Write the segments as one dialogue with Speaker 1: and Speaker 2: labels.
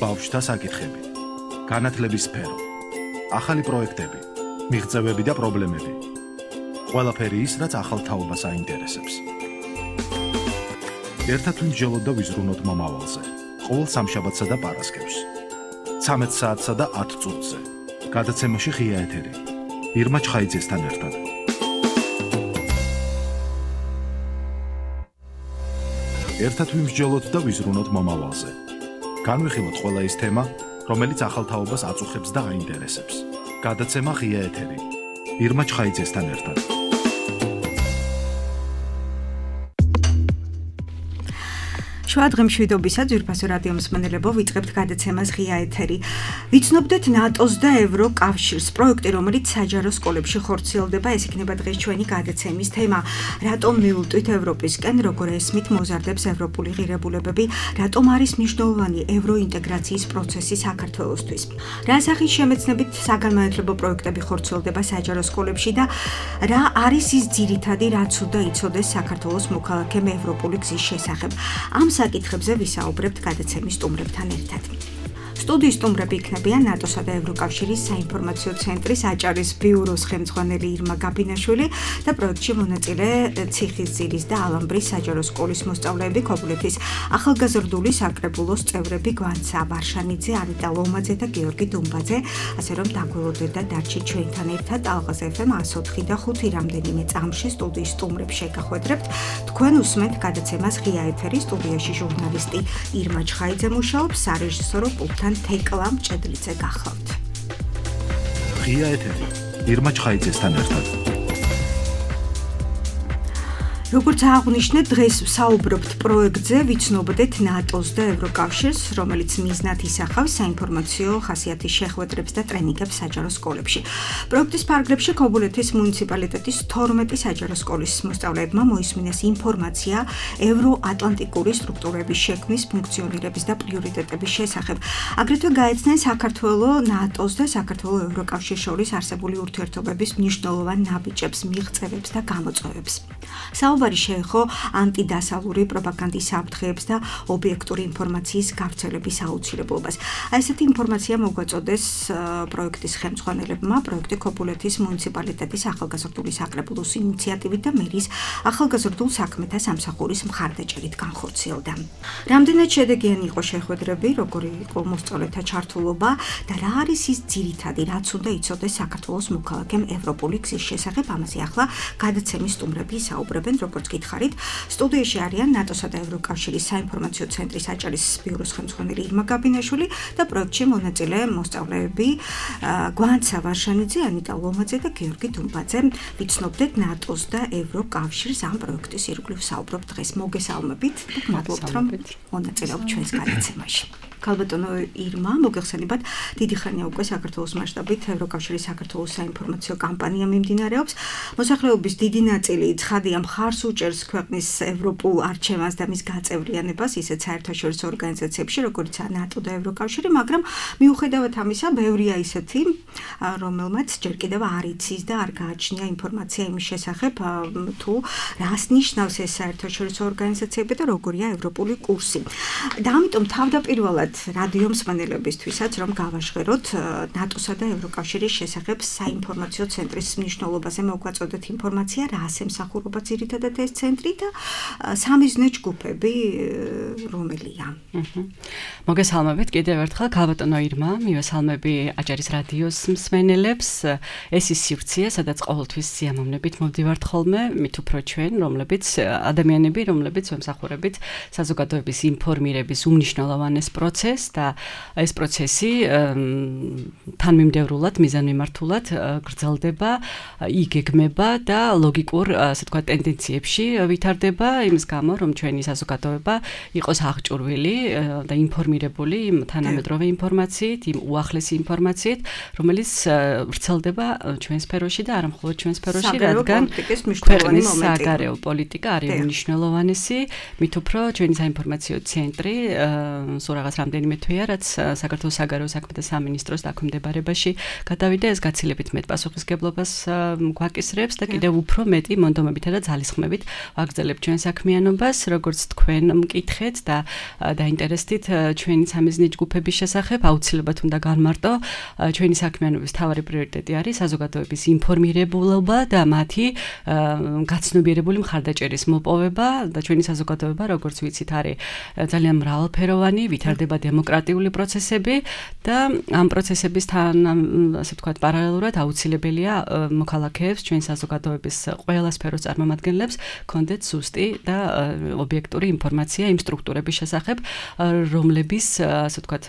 Speaker 1: ბავშვთა საკითხები, განათლების სფერო, ახალი პროექტები, მიღწევები და პრობლემები. ყველაფერი ის, რაც ახალ თაობას აინტერესებს. ერთად ვიმსჯელოთ და ვიზრუნოთ მომავალზე. ყოველ სამშაბათსა და პარასკევს. 13 საათსა და 10 წუთზე. გადაცემაში ღია ეთერი. ირმა ჩხაიძესთან ერთად. ერთად ვიმსჯელოთ და ვიზრუნოთ მომავალზე. განვიხილოთ ყველა ის თემა, რომელიც ახალ თაობას აწუხებს და აინტერესებს. გადაცემა ღია ეთერი. ირმა ჩხაიძესთან ერთად.
Speaker 2: შუა დღემშვიდობისა ძვირფასო რადიო მსმენელებო, ვიწყებთ გადაცემას ღია ეთერი. ვიცნობდეთ ნატოს და ევროკავშირს პროექტი, რომელიც საჯარო სკოლებში ხორციელდება, ეს იქნება დღეს ჩვენი გადაცემის თემა. რატომ მივუტვით ევროპისკენ, როგორ ესმით მოზარდებს ევროპული ღირებულებები, რატომ არის მნიშვნელოვანი ევროინტეგრაციის პროცესი საქართველოსთვის. რა სახის შემეცნებით საგანმანათლებლო პროექტები ხორციელდება საჯარო სკოლებში და რა არის ის ძირითადი, რაც უნდა იცოდეს საქართველოს მოქალაქემ ევროპული გზის შესახებ. ამ საკითხებზე ვისაუბრებთ გადაცემის სტუმრებთან ერთად. სტუდიის სტუმრები იქნებიან ნატოსა და ევროკავშირის საინფორმაციო ცენტრის აჭარის ბიუროს ხელმძღვანელი ირმა გაბინაშვილი და პროექტში მონაწილე ციხისძირის და ალამბრის საჯარო სკოლის მოსწავლეები, ქობულეთის ახალგაზრდული საკრებულოს წევრები გვანცა ვარშანიძე, ანიტა ლომაძე და გიორგი დუმბაძე, ასე რომ დაგველოდეთ და დარჩით ჩვენთან ერთად ალღაზ FM 104 და 5 რამდენიმე წამში სტუდიის სტუმრებს შეგახვედრებთ. თქვენ უსმენთ გადაცემას ღია ეთერი, სტუდიაში ჟურნალისტი ირმა ჩხაიძე მუშაობს, სარეჟისორო პულტთან თეკლა მჭედლიძე გახლავთ.
Speaker 1: ღია ეთერი. ირმა ჩხაიძესთან ერთად.
Speaker 2: როგორც აღვნიშნეთ, დღეს ვსაუბრობთ პროექტზე, ვიცნობდეთ ნატოს და ევროკავშირს, რომელიც მიზნად ისახავს საინფორმაციო ხასიათის შეხვედრებს და ტრენინგებს საჯარო სკოლებში. პროექტის ფარგლებში ქობულეთის მუნიციპალიტეტის 12 საჯარო სკოლის მოსწავლეებმა მოისმინეს ინფორმაცია ევროატლანტიკური სტრუქტურების შექმნის, ფუნქციონირების და პრიორიტეტების შესახებ. აგრეთვე გაეცნენ საქართველოს, ნატოს და საქართველოს ევროკავშირის შორის არსებული ურთიერთობების მნიშვნელოვან ნაბიჯებს, მიღწევებს და გამოწვევებს. საუბარი შეეხო ანტიდასავლური პროპაგანდის საფრთხეებს და ობიექტური ინფორმაციის გავრცელების აუცილებლობას. ესეთი ინფორმაცია მოგვაწოდეს პროექტის ხელმძღვანელებმა, პროექტი ქობულეთის მუნიციპალიტეტის ახალგაზრდული საკრებულოს ინიციატივით და მერის ახალგაზრდულ საქმეთა სამსახურის მხარდაჭერით განხორციელდა. რამდენად შედეგიანი იყო შეხვედრები, როგორი იყო მოსწავლეთა ჩართულობა და რა არის ის ძირითადი, რაც უნდა იცოდეს საქართველოს მოქალაქემ ევროპული გზის შესახებ, ამაზე ახლა გადაცემის სტუმრები საუბრებენ. როგორც გითხარით, სტუდიაში არიან ნატოსა და ევროკავშირის საინფორმაციო ცენტრის აჭარის ბიუროს ხელმძღვანელი ირმა გაბინაშვილი და პროექტში მონაწილე მოსწავლეები გვანცა ვარშანიძე, ანიტა ლომაძე და გიორგი დუმბაძე. ვიცნობდეთ ნატოს და ევროკავშირის ამ პროექტის ირგვლივ საუბრობთ დღეს. მოგესალმებით და მადლობთ, რომ მონაწილეობთ ჩვენს გადაცემაში. ქალბატონო ირმა, მოგეხსენებათ, დიდი ხანია უკვე საქართველოს მასშტაბით ევროკავშირის საქართველოს საინფორმაციო კამპანია მიმდინარეობს. მოსახლეობის დიდი ნაწილი ცხადია მხარს უჭერს ქვეყნის ევროპულ არჩევანს და მის გაწევრიანებას, ისეთ საერთაშორისო ორგანიზაციებში, როგორიცაა ნატო და ევროკავშირი, მაგრამ მიუხედავად ამისა, ბევრია ისეთი, რომელმაც ჯერ კიდევ არ იცის და არ გააჩნია ინფორმაცია იმის შესახებ, თუ რას ნიშნავს ეს საერთაშორისო ორგანიზაციები და როგორია ევროპული კურსი. და ამიტომ თავდაპირველად რადიო მსმენელებისთვისაც, რომ გავაჟღეროთ ნატოსა და ევროკავშირის შესახებ საინფორმაციო ცენტრის მნიშვნელობაზე მოგვაწოდეთ ინფორმაცია, რას ემსახურება ძირითადად ეს ცენტრი და სამიზნე ჯგუფები რომელია.
Speaker 3: მოგესალმებით კიდევ ერთხელ ქალბატონო ირმა, მივესალმები აჭარის რადიოს მსმენელებს. ეს ის სივრცეა, სადაც ყოველთვის სიამოვნებით მოვდივართ ხოლმე, მით უფრო ჩვენ, ადამიანები, რომლებიც ვემსახურებით საზოგადოების ინფორმირების უმნიშვნელოვანეს პროცესს და ეს პროცესი თანმიმდევრულად, მიზანმიმართულად გრძელდება, იგეგმება და ლოგიკურ, ასე ვთქვათ, ტენდენციებში ვითარდება იმის გამო, რომ ჩვენი საზოგადოება იყოს აღჭურვილი და ინფორმირებული თანამედროვე ინფორმაციით, იმ უახლესი ინფორმაციით, რომელიც ვრცელდება ჩვენ სფეროში და არა მხოლოდ ჩვენ სფეროში, რადგან ქვეყნის საგარეო პოლიტიკა არის მნიშვნელოვანესი, მით უფრო ჩვენი საინფორმაციო ცენტრი სულ რაღაც რამდენიმე თვეა, რაც საქართველოს საგარეო საქმეთა სამინისტროს დაქვემდებარებაში გადავიდა, ეს გაცილებით მეტ პასუხისგებლობას გვაკისრებს და კიდევ უფრო მეტი მონდომებითა და ძალისხმევით ვაგრძელებთ ჩვენ საქმიანობას, როგორც თქვენ მკითხეთ და დაინტერესდით ჩვენი სამიზნე ჯგუფების შესახებ, აუცილებლად უნდა განმარტო, ჩვენი საქმიანობის მთავარი პრიორიტეტი არის საზოგადოების ინფორმირებულობა და მათი გაცნობიერებული მხარდაჭერის მოპოვება და ჩვენი საზოგადოება, როგორც ვიცით, არის ძალიან მრავალფეროვანი, ვითარდება დემოკრატიული პროცესები და ამ პროცესებისთან, ასე ვთქვათ, პარალელურად აუცილებელია მოქალაქეებს, ჩვენი საზოგადოების ყველა სფეროს წარმომადგენლებს კონდეთ სუსტი და ობიექტური ინფორმაცია იმ სტრუქტურების შესახებ, რომლების, ასე ვთქვათ,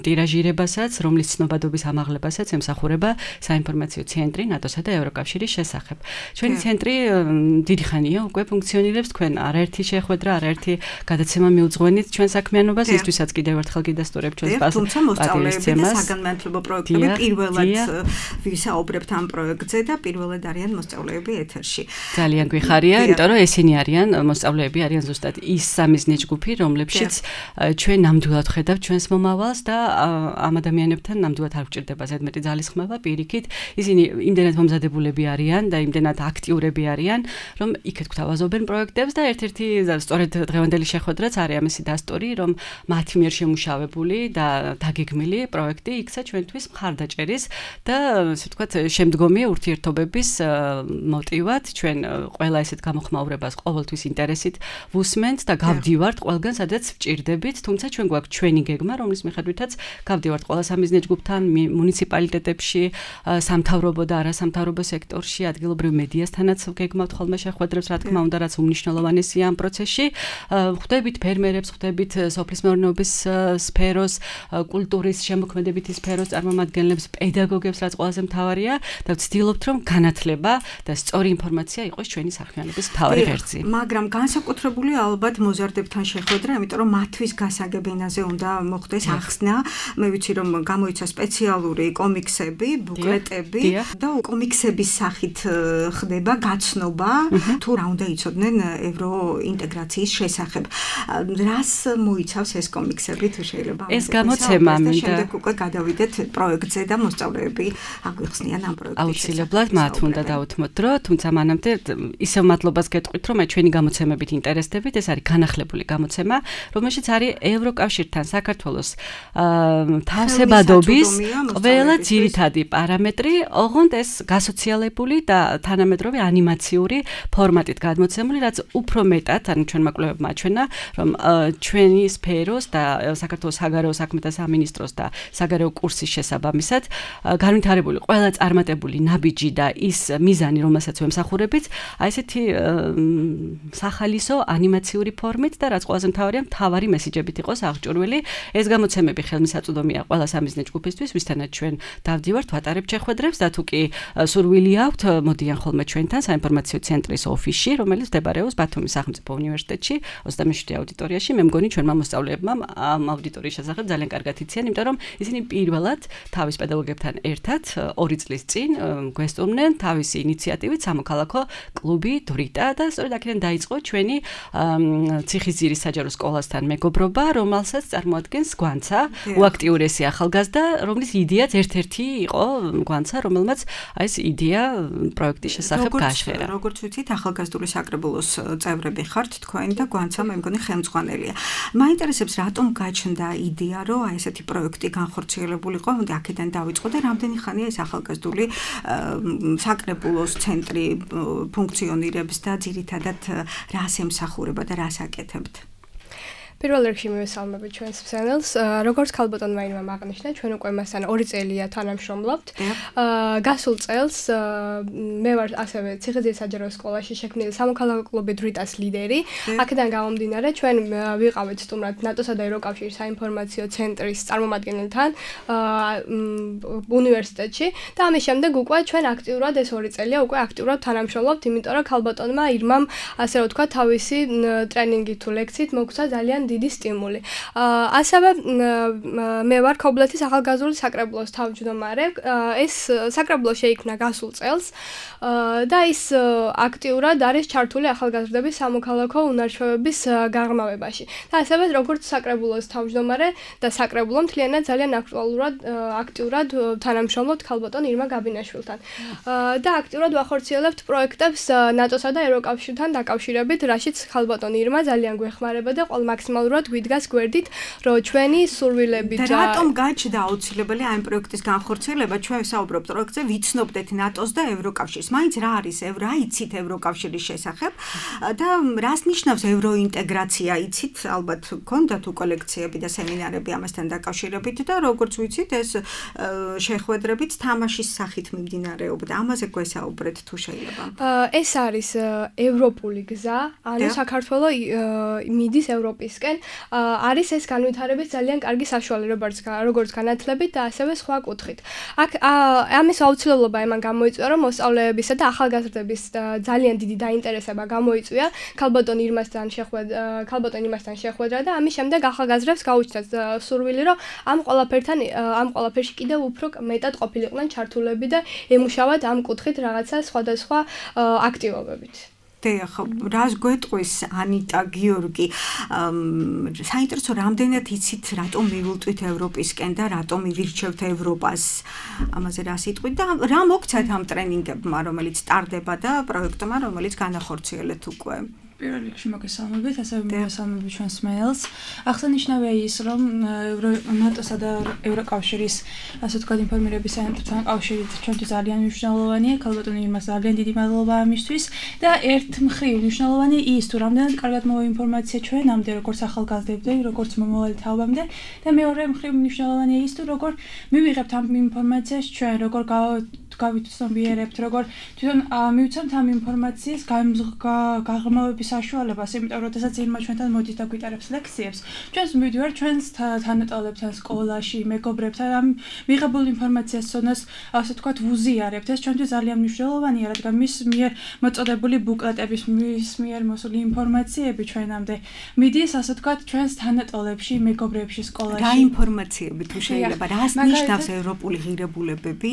Speaker 3: ტირაჟირებასაც, რომლის ცნობადობის ამაღლებასაც ემსახურება საინფორმაციო ცენტრი ნატოსა და ევროკავშირის შესახებ. ჩვენი ცენტრი დიდი ხანია უკვე ფუნქციონირებს, თქვენ არაერთი შეხვედრა, არაერთი გადაცემა მიუძღვენით ჩვენ საქმიანობას, ისთვისაც კიდევ ერთხელ გიდასტურებ ჩვენს
Speaker 2: თუმცა მოსწავლეები და საგანმანათლებლო პროექტები პირველად ვისაუბრებთ ამ პროექტზე და პირველად არიან მოსწავლეები ეთერში.
Speaker 3: ძალიან გვიხარია, იმიტომ რომ ესენი არიან მოსწავლეები, არიან ზუსტად ის სამიზნე ჯგუფი, რომლებშიც ჩვენ ნამდვილად ხედავთ ჩვენს მომავალს და ამ ადამიანებთან ნამდვილად არ გვჭირდება ზედმეტი ძალისხმევა, პირიქით, ისინი იმდენად მომზადებულები არიან და იმდენად აქტიურები არიან, რომ იქეთ გვთავაზობენ პროექტებს და ერთ-ერთი სწორედ დღევანდელი შეხვედრაც არის ამისი დასტური, რომ მათი მიერ შემუშავებული და დაგეგმილი პროექტი იქცა ჩვენთვის მხარდაჭერის და ასე ვთქვათ, შემდგომი ურთიერთობების მოტივად ჩვენ ყველა ესეთ გამოხმაურებას ყოველთვის ინტერესით ვუსმენთ და გავდივართ ყველგან, სადაც ვჭირდებით, თუმცა ჩვენ გვაქვს ჩვენი გეგმა, რომლის მიხედვითაც გავდივართ ყველა სამიზნე ჯგუფთან, მუნიციპალიტეტებში, სამთავრობო და არასამთავრობო სექტორში, ადგილობრივ მედიასთანაც გეგმავთ ხოლმე შეხვედრებს, რა თქმა უნდა, რაც უმნიშვნელოვანესია ამ პროცესში. ხვდებით ფერმერებს, ხვდებით სოფლის მეურნეობის სფეროს, კულტურის შემოქმედებითი სფეროს წარმომადგენლებს, პედაგოგებს, რაც ყველაზე მთავარია და ვცდილობთ, რომ განათლება და სწორი ინფორმაცია იყოს ჩვენი საქმიანობის მთავარი ვერძი.
Speaker 2: მაგრამ განსაკუთრებული ალბათ მოზარდებთან შეხვედრა, იმიტომ რომ მათთვის გასაგებ ენაზე უნდა მოხდეს ახსნა. მე ვიცი, რომ გამოიცა სპეციალური კომიქსები, ბუკლეტები და კომიქსების სახით ხდება გაცნობა, თუ რა უნდა იცოდნენ ევროინტეგრაციის შესახებ. რას მოიცავს ეს კომიქსები, თუ შეიძლება
Speaker 3: ეს გამოცემა
Speaker 2: და შემდეგ უკვე გადავიდეთ პროექტზე და მოსწავლეები აგვიხსნიან ამ პროექტის.
Speaker 3: აუცილებლად მათ უნდა დავუთმოთ დრო, თუმცა მანამდე ისევ მადლობას გეტყვით, რომ ჩვენი გამოცემებით ინტერესდებით, ეს არის განახლებული გამოცემა, რომელშიც არის ევროკავშირთან საქართველოს თავსებადობის ყველა ძირითადი პარამეტრი, ოღონდ ეს გასოციალებული და თანამედროვე ანიმაციური ფორმატით გადმოცემული, რაც უფრო მეტად, ანუ ჩვენმა კვლევებმა აჩვენა, რომ ჩვენი სფეროს და საქართველოს საგარეო საქმეთა სამინისტროს და საგარეო კურსის შესაბამისად განვითარებული ყველა წარმატებული ნაბიჯი და ის მიზანი, რომელსაც ვემსახურებით, აი ესეთი სახალისო ანიმაციური ფორმით და რაც ყველაზე მთავარია, მთავარი მესიჯებით იყოს აღჭურვილი. ეს გამოცემები ხელმისაწვდომია ყველა სამიზნე ჯგუფისთვის, ვისთანაც ჩვენ დავდივართ, ვატარებთ შეხვედრებს და თუ კი სურვილი აქვთ, მოდიან ხოლმე ჩვენთან საინფორმაციო ცენტრის ოფისში, რომელიც მდებარეობს ბათუმის სახელმწიფო უნივერსიტეტში, 27 აუდიტორიაში. მე მგონი ჩვენმა მოსწავლეებმა ამ აუდიტორიის შესახებ ძალიან კარგად იციან, იმიტომ რომ ისინი პირველად თავის პედაგოგებთან ერთად 2 წლის წინ გვესტუმნენ თავისი ინიციატივით სამოქალაქო კლუბი დრიტა და სწორედ აქედან დაიწყო ჩვენი ციხისძირის საჯარო სკოლასთან მეგობრობა, რომელსაც წარმოადგენს გვანცა, უაქტიურესი ახალგაზრდა, რომლის იდეაც ერთ-ერთი იყო გვანცა, რომელმაც აი ეს იდეა პროექტის შესახებ გააჟღერა.
Speaker 2: როგორც ვიცით, ახალგაზრდული საკრებულოს წევრები ხართ თქვენ და გვანცა მე მგონი ხელმძღვანელია. მაინტერესებს, რატომ გაჩნდა იდეა, რომ აი ესეთი პროექტი განხორციელებულიყო, აქედან დაიწყო და რამდენი ხანია ეს ახალგაზრდული საკრებულოს ცენტრი ფუნქციონირებს და ძირითადად რას ემსახურება და რას აკეთებთ?
Speaker 4: პირველ რიგში მივესალმებით ჩვენს მსმენელს. როგორც ქალბატონმა ინვამ აღნიშნა, ჩვენ უკვე მასთან 2 წელია თანამშრომლობთ. გასულ წელს მე ვარ ასევე ციხისძირის საჯარო სკოლაში შექმნილი სამოქალაქო კლუბი დრიტას ლიდერი. აქედან გამომდინარე, ჩვენ ვიყავით სტუმრად ნატოსა და ევროკავშირის საინფორმაციო ცენტრის წარმომადგენელთან უნივერსიტეტში და ამის შემდეგ უკვე ჩვენ აქტიურად ეს 2 წელია უკვე აქტიურად თანამშრომლობთ, იმიტომ რომ ქალბატონმა ირმამ ასე რომ თქვა თავისი ტრენინგი თუ ლექციით მოგცა ძალიან დიდი სტიმული. ასევე მე ვარ ქობულეთის ახალგაზრდული საკრებულოს თავმჯდომარე. ეს საკრებულო შეიქმნა გასულ წელს და ის აქტიურად არის ჩართული ახალგაზრდების სამოქალაქო უნარ-ჩვევების გაღრმავებაში. და ასევე როგორც საკრებულოს თავმჯდომარე და საკრებულო მთლიანად ძალიან აქტიურად თანამშრომლობთ ქალბატონ ირმა გაბინაშვილთან. და აქტიურად ვახორციელებთ პროექტებს ნატოსა და ევროკავშირთან დაკავშირებით, რაშიც ქალბატონ ირმა ძალიან გვეხმარება და ყოველ მაქსიმალურად გვიდგას გვერდით, რომ ჩვენი სურვილები
Speaker 2: და რატომ გაჩნდა აუცილებელი ამ პროექტის განხორციელება? ჩვენ ვსაუბრობთ პროექტზე, ვიცნობდეთ ნატოს და ევროკავშირს. მაინც რა არის რა იცით ევროკავშირის შესახებ და რას ნიშნავს ევროინტეგრაცია? იცით, ალბათ გქონდათ უკვე ლექციები და სემინარები ამასთან დაკავშირებით და როგორც ვიცით, ეს შეხვედრებით თამაშის სახით მიმდინარეობდა. ამაზე გვესაუბრეთ თუ შეიძლება.
Speaker 4: ეს არის ევროპული გზა, ანუ საქართველო მიდის ევროპისკენ. არის ეს განვითარების ძალიან კარგი საშუალება, როგორც განათლებით და ასევე სხვა კუთხით. აქ ამის აუცილებლობა იმან გამოიწვია, რომ მოსწავლეებისა და ახალგაზრდების ძალიან დიდი დაინტერესება გამოიწვია ქალბატონ ირმასთან შეხვედრა და ამის შემდეგ ახალგაზრდებს გაუჩნდათ სურვილი, რომ ამ ყველაფერში კიდევ უფრო მეტად ყოფილიყვნენ ჩართულები და ემუშავათ ამ კუთხით რაღაცა სხვადასხვა აქტივობებით.
Speaker 2: ხო, რას გვეტყვის ანიტა გიორგი? საინტერესო, რამდენად იცით, რატომ მივულტვით ევროპისკენ და რატომ მივირჩევთ ევროპას? ამაზე რა სიტყვით და რა მოგცათ ამ ტრენინგებმა, რომელიც ტარდება და პროექტმა, რომელიც განახორციელეთ უკვე?
Speaker 5: პირველ რიგში მოგესალმებით, ასევე მოგესალმებით ჩვენს მეილს. აღსანიშნავია ის, რომ ნატოსა და ევროკავშირის, ასე ვთქვათ, ინფორმირების ცენტრთან კავშირით ჩვენთვის ძალიან მნიშვნელოვანია. ქალბატონ ირმას ძალიან დიდი მადლობა ამისთვის და ერთ მხრივ მნიშვნელოვანია ის, თუ რამდენად კარგად მოვა ინფორმაცია ჩვენამდე, როგორც ახალგაზრდებზე, როგორც მომავალი თაობამდე და მეორე მხრივ მნიშვნელოვანია ის, თუ როგორ მივიღებთ ამ ინფორმაციას ჩვენ, როგორ გავიცნობიერებთ, როგორ თვითონ მივცემთ ამ ინფორმაციის გაღრმავების საშუალებას, იმიტომ რომ შესაძაც ირმა ჩვენთან მოდის და გვიტარებს ლექციებს. ჩვენს მივიდივართ ჩვენს თანატოლებთან სკოლაში, მეგობრებთან ამ მიღებულ ინფორმაციას ცოდნას, ასე ვთქვათ, ვუზიარებთ. ეს ჩვენთვის ძალიან მნიშვნელოვანია, რადგან მის მიერ მოწოდებული ბუკლეტების, მის მიერ მოსული ინფორმაციები ჩვენამდე მიდის, ასე ვთქვათ, ჩვენს თანატოლებში, მეგობრებში, სკოლაში.
Speaker 2: რა ინფორმაციები თუ შეიძლება, რას ნიშნავს ევროპული ღირებულებები?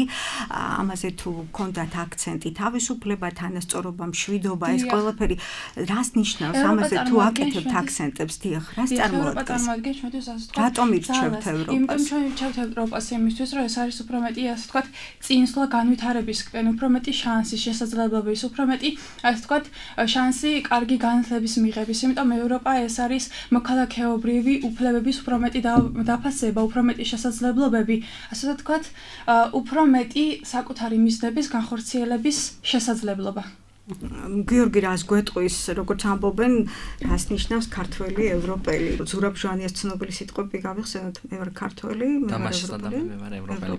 Speaker 2: ამაზე თუ გქონდათ აქცენტი, თავისუფლება, თანასწორობა, მშვიდობა, ეს ყველაფერი რას ნიშნავს? ამაზე თუ აკეთებთ აქცენტებს, დიახ, რას წარმოადგენს?
Speaker 5: ჩვენთვის ასე ვთქვათ,
Speaker 2: რატომ ირჩევთ ევროპას?
Speaker 5: იმიტომ ჩვენ ირჩევთ ევროპას იმისთვის, რომ ეს არის უფრო მეტი, ასე ვთქვათ, წინსვლა განვითარებისკენ, უფრო მეტი შანსი, შესაძლებლობების, უფრო მეტი, ასე ვთქვათ, შანსი კარგი განათლების მიღების. იმიტომ ევროპა ეს არის მოქალაქეობრივი უფლებების უფრო მეტი დაფასება, უფრო მეტი შესაძლებლობები, ასე ვთქვათ, უფრო მეტი საკუთარი მიზნების განხორციელების შესაძლებლობა.
Speaker 2: გიორგი, რას გვეტყვის, როგორც ამბობენ, რას ნიშნავს ქართველი ევროპელი? ზურაბ ჟვანიას ცნობილი სიტყვები გავიხსენოთ, მე ვარ ქართველი,
Speaker 6: მე ვარ ევროპელი.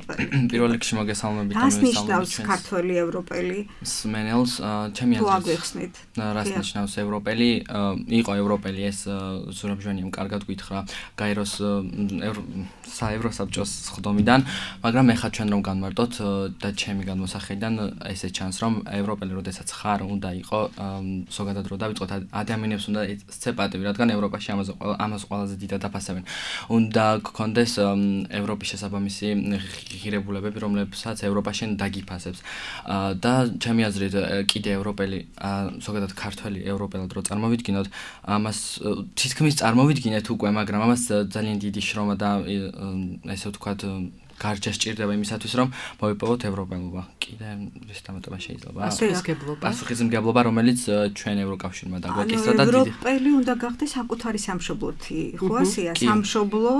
Speaker 6: პირველ რიგში მოგესალმებით და
Speaker 2: რას ნიშნავს ქართველი ევროპელი?
Speaker 6: სმენელს, ჩემი აზრით.
Speaker 2: თუ აგვიხსნით.
Speaker 6: რას ნიშნავს ევროპელი? იყო ევროპელი, ეს ზურაბ ჟვანიამ კარგად გითხრა გაეროს საევროსაბჭოს ხდომიდან, მაგრამ ეხლა ჩვენ რომ განმარტოთ და ჩემი გადმოსახედიდან ესე ჩანს, რომ ევროპელი როდესაც ხარ უნდა იყო ზოგადად რო დავიწყოთ ადამიანებს უნდა ეცე პატივი, რადგან ევროპაში ამას ყველაზე დიდად აფასებენ. უნდა გქონდეს ევროპის შესაბამისი ღირებულებები, რომლებსაც ევროპაში დაგიფასებს. და ჩემი აზრით კიდე ევროპელი, ზოგადად ქართველი ევროპელად რო წარმოვიდგინოთ, ამას თითქმის წარმოვიდგინეთ უკვე, მაგრამ ამას ძალიან დიდი შრომა და ესე ვთქვათ გარჯა სჭირდება იმისათვის, რომ მოვიპოვოთ ევროპელობა. კიდე ეს დამატება შეიძლება. პასუხისმგებლობა, რომელიც ჩვენ ევროკავშირმა დაგვეკისრა და დიდი.
Speaker 2: ევროპელი უნდა გახდეს საკუთარი სამშობლოთი, ხო ასეა? სამშობლო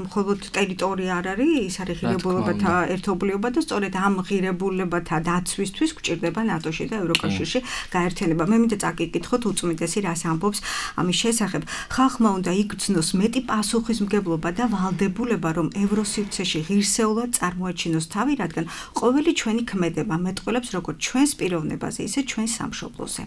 Speaker 2: მხოლოდ ტერიტორია არ არის, ის არის ღირებულებათა ერთობლიობა და სწორედ ამ ღირებულებათა დაცვისთვის გვჭირდება ნატოში და ევროკავშირში გაერთიანება. მე მინდა წაკითხოთ უწმიდესი რას ამბობს ამის შესახებ. ხალხმა უნდა იგრძნოს მეტი პასუხისმგებლობა და ვალდებულება, რომ ევროსივრცეში ღირსეულად წარმოაჩინოს თავი, რადგან ყოველი ჩვენი ქმედება მეტყველებს როგორც ჩვენს პიროვნებაზე, ისე ჩვენს სამშობლოზე.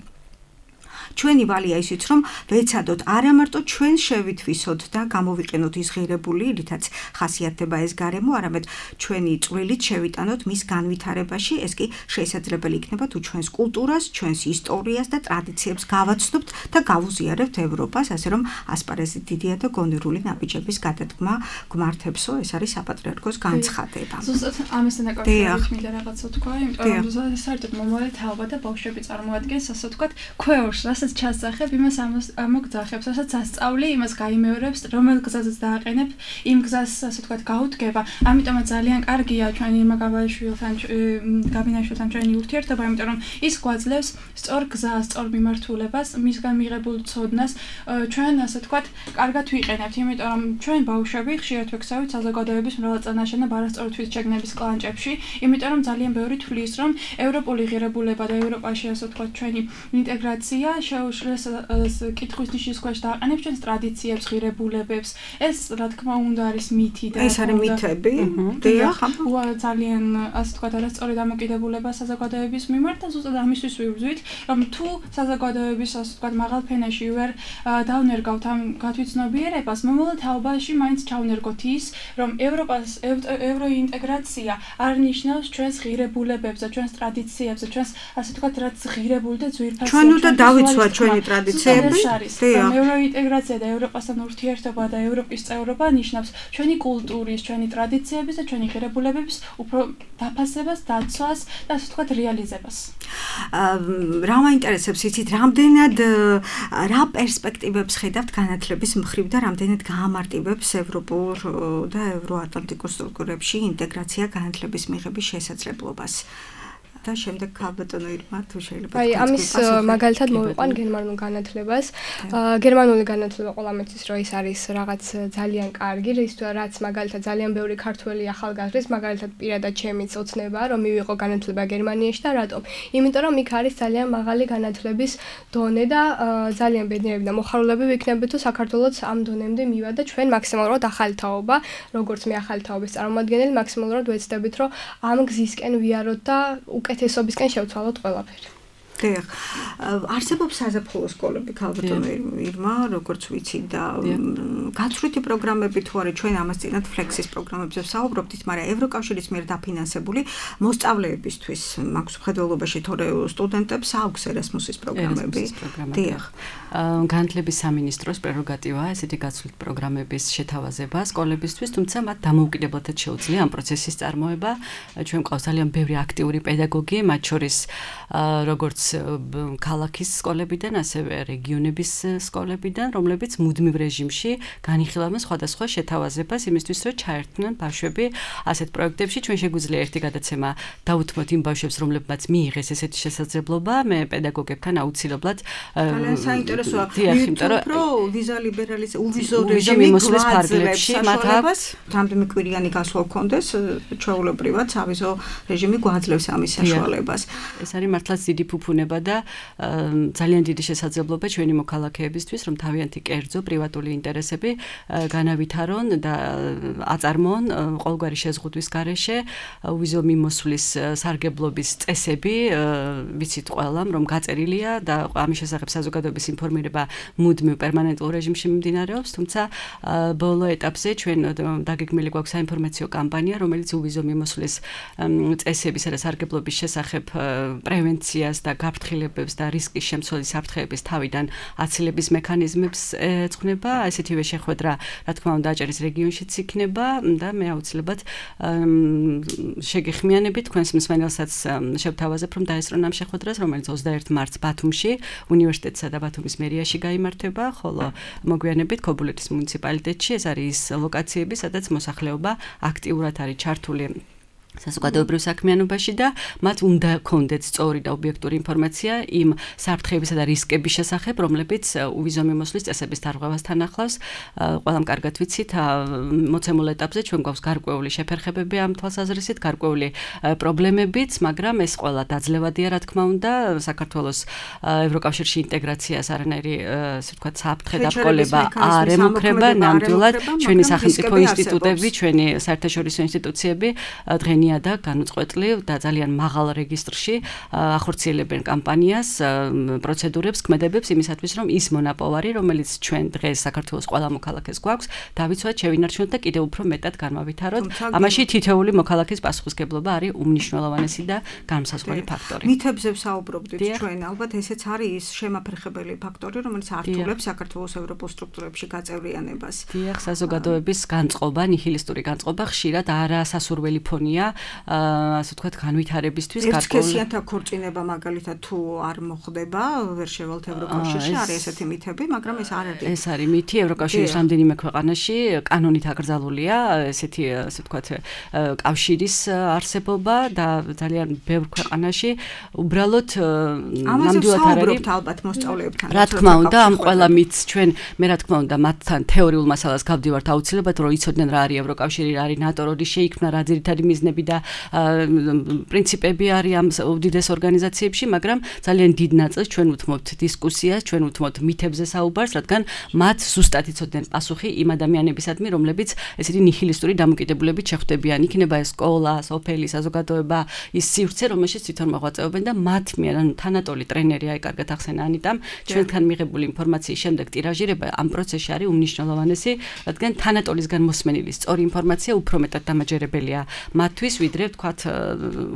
Speaker 2: ჩვენი ვალია ისიც რომ ვეცადოთ არა მარტო ჩვენ შევითვისოთ და გამოვიყენოთ ის ღირებული, რითაც ხასიათდება ეს გარემო, არამედ ჩვენი წვრილით შევიტანოთ მის განვითარებაში, ეს კი შესაძლებელი იქნება თუ ჩვენს კულტურას, ჩვენს ისტორიას და ტრადიციებს გავაცნობთ და გავუზიარებთ ევროპას, ასე რომ ასპარეზი დიდია და გონერული ნაბიჯების გადადგმა გმართებსო, ეს არის საპატრიარქოს განცხადება.
Speaker 5: ზუსტად ამასთან დაკავშირებით მინდა რაღაცა თქვა, იმიტომ რომ საერთოდ მომავალი თაობა და ბავშვები წარმოადგენს, ასე ვთქვათ, ქვევრს, რასაც ჩასძახებ, იმას ამოგძახებს, რასაც ასწავლი, იმას გაიმეორებს, რომელ გზაზეც დააყენებ, იმ გზას, ასე ვთქვათ, გაუდგება. ამიტომაც ძალიან კარგია ჩვენი ირმა გაბინაშვილთან ჩვენი ურთიერთობა, იმიტომ რომ ის გვაძლევს სწორ გზას, სწორ მიმართულებას, მისგან მიღებულ ცოდნას ჩვენ, ასე ვთქვათ, კარგად ვიყენებთ, იმიტომ რომ ჩვენ ბავშვები ხშირად ვექცევით საზოგადოების მრავალწლოვანი და არასწორი თვითშეგნების კლანჭებში, იმიტომ რომ ძალიან ბევრი თვლის, რომ ევროპული ღირებულება და ევროპაში, ასე ვთქვათ, ჩვენი ინტეგრაცია შეუძლეს კითხვის ნიშნის ქვეშ დააყენებს ჩვენს ტრადიციებს, ღირებულებებს. ეს, რა თქმა უნდა, არის მითი და
Speaker 2: ეს არის მითები. დიახ,
Speaker 5: ძალიან, ასე ვთქვათ, არასწორი დამოკიდებულება საზოგადოების მიმართ და ზუსტად ამისთვის ვიბრძვით, რომ თუ საზოგადოების, ასე ვთქვათ, მაღალ ფენაში ვერ დავნერგავთ ამ გათვითცნობიერებას, მომავალ თაობაში მაინც ჩავნერგოთ ის, რომ ევროინტეგრაცია არ ნიშნავს ჩვენს ღირებულებებს და ჩვენს ტრადიციებს და ჩვენს, ასე ვთქვათ, რაც ღირებული და ძვირფასია.
Speaker 2: ჩვენ უნდა დავიცვათ ჩვენი ტრადიციები.
Speaker 5: ევროინტეგრაცია და ევროპასთან ურთიერთობა და ევროპის წევრობა ნიშნავს ჩვენი კულტურის, ჩვენი ტრადიციების და ჩვენი ღირებულებების უფრო დაფასებას, დაცვას და ასე ვთქვათ, რეალიზებას.
Speaker 2: რა მაინტერესებს იცით, რამდენად რა პერსპექტივებს ხედავთ განათლების მხრივ და რამდენად გაამარტივებს ევროპულ და ევროატლანტიკურ სტრუქტურებში ინტეგრაცია განათლების მიღების შესაძლებლობას. და შემდეგ ქალბატონო ირმა თუ შეიძლება
Speaker 4: აი ამის მაგალითად მოვიყვან გერმანულ განათლებას. გერმანული განათლება ყველამ იცის რომ ის არის რაღაც ძალიან კარგი, რაც მაგალითად ძალიან ბევრი ქართველი ახალგაზრდის მაგალითად პირადად ჩემიც ოცნება რომ მივიღო განათლება გერმანიაში და რატომ? იმიტომ რომ იქ არის ძალიან მაღალი განათლების დონე და ძალიან ბედნიერები და მოხარულები ვიქნებით თუ საქართველოს ამ დონემდე მივა და ჩვენ მაქსიმალურად ახალი თაობა, როგორც მე ახალი თაობის წარმომადგენელი, მაქსიმალურად ვეცდებით რომ ამ გზისკენ ვიაროთ და უკეთესობისკენ შევცვალოთ ყველაფერი.
Speaker 2: დიახ. არსებობს საზაფხულო სკოლები ქალბატონო ირმა, როგორც ვიცი და გაცვლითი პროგრამები თუ არის, ჩვენ ამას წინათ ფლექსის პროგრამებზე ვსაუბრობთ, მაგრამ ევროკავშირის მიერ დაფინანსებული მოსწავლეებისთვის მაქვს მხედველობაში თორე სტუდენტებს აქვს ერასმუსის პროგრამები. დიახ.
Speaker 3: განათლების სამინისტროს პრეროგატივაა ესეთი გაცვლითი პროგრამების შეთავაზება სკოლებისთვის, თუმცა მათ დამოუკიდებლად შეუძლია ამ პროცესის წარმოება. ჩვენ გვყავს ძალიან ბევრი აქტიური პედაგოგი, მათ შორის როგორც ქალაქის სკოლებიდან, ასევე რეგიონების სკოლებიდან, რომლებიც მუდმივ რეჟიმში განიხილავენ სხვადასხვა შეთავაზებას იმისთვის, რომ ჩაერთვნან ბავშვები ასეთ პროექტებში. ჩვენ შეგვიძლია ერთი გადაცემა დავუთმოთ იმ ბავშვებს, რომლებმაც მიიღეს ესეთი შესაძლებლობა, მე პედაგოგებთან აუცილებლად
Speaker 2: საინტერესოა.
Speaker 3: იმიტომ
Speaker 2: რომ ვიზა ლიბერალიზაცია, უვიზო რეჟიმი მოსვლის ფარგლებში მათ აქვს რამდენი კვირიანი გასვლა გქონდეს, ჩვეულებრივად ავიზო რეჟიმი გვაძლევს ამის საშუალებას.
Speaker 3: ეს არის მართლაც დიდი ფუფუნება და ძალიან დიდი შესაძლებლობა ჩვენი მოქალაქეებისთვის, რომ თავიანთი კერძო პრივატული ინტერესები განავითარონ და აწარმოონ ყოველგვარი შეზღუდვის გარეშე. უვიზო მიმოსვლის სარგებლობის წესები ვიცით ყველამ, რომ გაწერილია და ამის შესახებ საზოგადოების ინფორმირება მუდმივ პერმანენტულ რეჟიმში მიმდინარეობს, თუმცა ბოლო ეტაპზე ჩვენ დაგეგმილი გვაქვს საინფორმაციო კამპანია, რომელიც უვიზო მიმოსვლის წესებისა და სარგებლობის შესახებ პრევენციას და გაფრთხილებებს და რისკის შემცველი საფრთხეების თავიდან აცილების მექანიზმებს ეძღვნება. ესეთივე შეხვედრა, რა თქმა უნდა, აჭარის რეგიონშიც იქნება და მე აუცილებლად შეგეხმიანებით თქვენს მსმენელსაც შევთავაზებ, რომ დაესწრონ ამ შეხვედრას, რომელიც 21 მარტს ბათუმში უნივერსიტეტსა და ბათუმის მერიაში გაიმართება, ხოლო მოგვიანებით ქობულეთის მუნიციპალიტეტში. ეს არის ის ლოკაციები, სადაც მოსახლეობა აქტიურად არის ჩართული საზოგადოებრივ საქმიანობაში და მათ უნდა ქონდეთ სწორი და ობიექტური ინფორმაცია იმ საფრთხეებისა და რისკების შესახებ, რომლებიც უვიზო მიმოსვლის წესების დარღვევასთან ახლავს. ყველამ კარგად ვიცით, მოცემულ ეტაპზე ჩვენ გვაქვს გარკვეული შეფერხებები ამ თვალსაზრისით, გარკვეული პრობლემებიც, მაგრამ ეს ყველა დაძლევადია, რა თქმა უნდა, საქართველოს ევროკავშირში ინტეგრაციას არანაირი, ასე ვთქვათ, საფრთხე დაბრკოლება არ ემუქრება, ნამდვილად ჩვენი სახელმწიფო ინსტიტუტები, ჩვენი საერთაშორისო ინსტიტუციები დღეს მშვენია და განუწყვეტლივ და ძალიან მაღალ რეგისტრში ახორციელებენ კამპანიას, პროცედურებს, ქმედებებს იმისათვის, რომ ის მონაპოვარი, რომელიც ჩვენ დღეს საქართველოს ყველა მოქალაქეს გვაქვს, დავიცვათ, შევინარჩუნოთ და კიდევ უფრო მეტად განმავითაროთ. ამაში თითოეული მოქალაქის პასუხისგებლობა არის უმნიშვნელოვანესი და განმსაზღვრელი ფაქტორი.
Speaker 2: მითებზე ვსაუბრობდით ჩვენ, ალბათ ესეც არის ის შემაფრხებელი ფაქტორი, რომელიც ართულებს საქართველოს ევროპულ სტრუქტურებში გაწევრიანებას.
Speaker 3: დიახ, საზოგადოების განწყობა, ნიჰილისტური განწყობა ხშირად არასასურველი ფონია, ასე ვთქვათ, განვითარებისთვის
Speaker 2: ერთსქესიანთა ქორწინება მაგალითად თუ არ მოხდება, ვერ შევალთ ევროკავშირში, არის ესეთი მითები, მაგრამ ეს არ არის.
Speaker 3: ეს არის მითი, ევროკავშირის რამდენიმე ქვეყანაში კანონით აკრძალულია ესეთი, ასე ვთქვათ, კავშირის არსებობა და ძალიან ბევრ ქვეყანაში უბრალოდ
Speaker 2: ნამდვილად არ არის ალბათ მოსწავლეებთან.
Speaker 3: რა თქმა უნდა, ამ ყველა მითს ჩვენ მე რა თქმა უნდა მათთან თეორიულ მასალას გავდივართ აუცილებლად, რომ იცოდნენ რა არის ევროკავშირი, რა არის ნატო, როდის შეიქმნა, რა ძირითადი მიზნები და პრინციპები არის ამ უდიდეს ორგანიზაციებში, მაგრამ ძალიან დიდ ნაწილს ჩვენ უთმობთ დისკუსიას, ჩვენ უთმობთ მითებზე საუბარს, რადგან მათ ზუსტად იცოდნენ პასუხი იმ ადამიანებისადმი, რომლებიც ესეთი ნიჰილისტური დამოკიდებულებით შეხვდებიან. იქნება ეს სკოლა, სოფელი, საზოგადოება, ის სივრცე, რომელშიც თვითონ მოღვაწეობენ და მათ მიერ, ანუ თანატოლი ტრენერი, აი კარგად ახსენა ანიტამ, ჩვენთან მიღებული ინფორმაციის შემდეგ ტირაჟირება ამ პროცესში არის უმნიშვნელოვანესი, რადგან თანატოლისგან მოსმენილი სწორი ინფორმაცია უფრო მეტად დამაჯერებელია მათთვის, ვიდრე ვთქვათ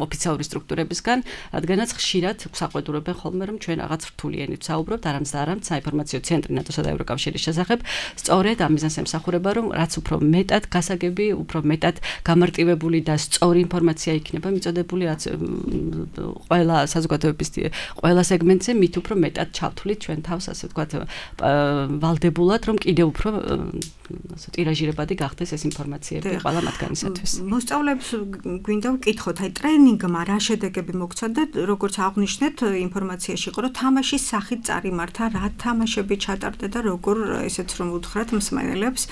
Speaker 3: ოფიციალური სტრუქტურებისგან, რადგანაც ხშირად გვსაყვედურებენ ხოლმე, რომ ჩვენ რაღაც რთული ენით ვსაუბრობთ, არამც და არამც საინფორმაციო ცენტრი ნატოსა და ევროკავშირის შესახებ, სწორედ ამ მიზანს ემსახურება, რომ რაც უფრო მეტად გასაგები, უფრო მეტად გამარტივებული და სწორი ინფორმაცია იქნება მიწოდებული, რაც ყველა საზოგადოების ყველა სეგმენტზე მით უფრო მეტად ჩავთვლით ჩვენ თავს, ასე ვთქვათ, ვალდებულად, რომ კიდევ უფრო ასე ტირაჟირებადი გახდეს ეს ინფორმაციები ყველა მათგანისათვის.
Speaker 2: მოსწავლეებს გვინდა ვკითხოთ, აი ტრენინგმა რა შედეგები მოგცა და როგორც აღნიშნეთ ინფორმაციაში იყო, რომ თამაშის სახით წარიმართა, რა თამაშები ჩატარდა და როგორ ესეც რომ უთხრათ მსმენელებს,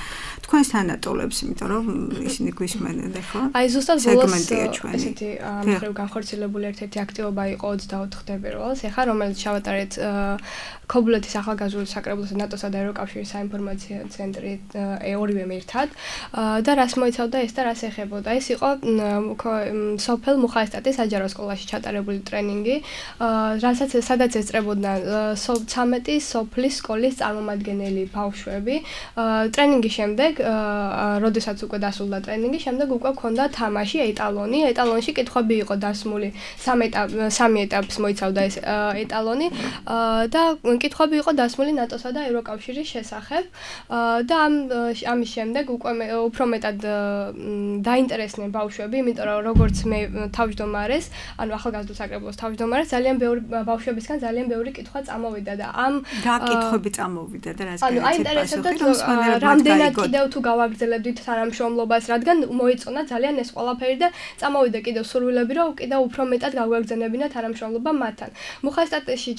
Speaker 2: თქვენს თანატოლებს, იმიტომ რომ ისინი გვისმენენ, ხო?
Speaker 4: აი ზუსტად ბოლოს ესეთი ამხრივ განხორციელებული ერთ-ერთი აქტივობა იყო 24 თებერვალს, ეხლა რომელიც ჩავატარეთ ქობულეთის ახალგაზრდულ საკრებულოს ნატოსა და ევროკავშირის საინფორმაციო ცენტრი ორივე ერთად და რას მოიცავდა ეს და რას ეხებოდა. ეს იყო სოფელ მუხაესტატის საჯარო სკოლაში ჩატარებული ტრენინგი, სადაც ესწრებოდნენ 13 სოფლის სკოლის წარმომადგენელი ბავშვები. ტრენინგის შემდეგ, როდესაც უკვე დასრულდა ტრენინგი, შემდეგ უკვე ჰქონდა თამაში ეტალონი. ეტალონში კითხვები იყო დასმული, სამი ეტაპს მოიცავდა ეს ეტალონი და კითხვები იყო დასმული ნატოსა და ევროკავშირის შესახებ და ამის შემდეგ უკვე უფრო მეტად დაინტერესდნენ ბავშვები, იმიტომ რომ როგორც მე თავმჯდომარეს, ანუ ახალგაზრდულ საკრებულოს თავმჯდომარეს, ძალიან ბევრი ბავშვებისგან ძალიან ბევრი კითხვა წამოვიდა და ამ
Speaker 2: რა კითხვები წამოვიდა და რას
Speaker 4: ანუ აინტერესებდათ რამდენად კიდევ თუ გავაგრძელებდით თანამშრომლობას, რადგან მოეწონა ძალიან ეს ყველაფერი და წამოვიდა კიდევ სურვილები, რომ კიდევ უფრო მეტად გავაგრძელებინა თანამშრომლობა მათთან. მუხაესტატში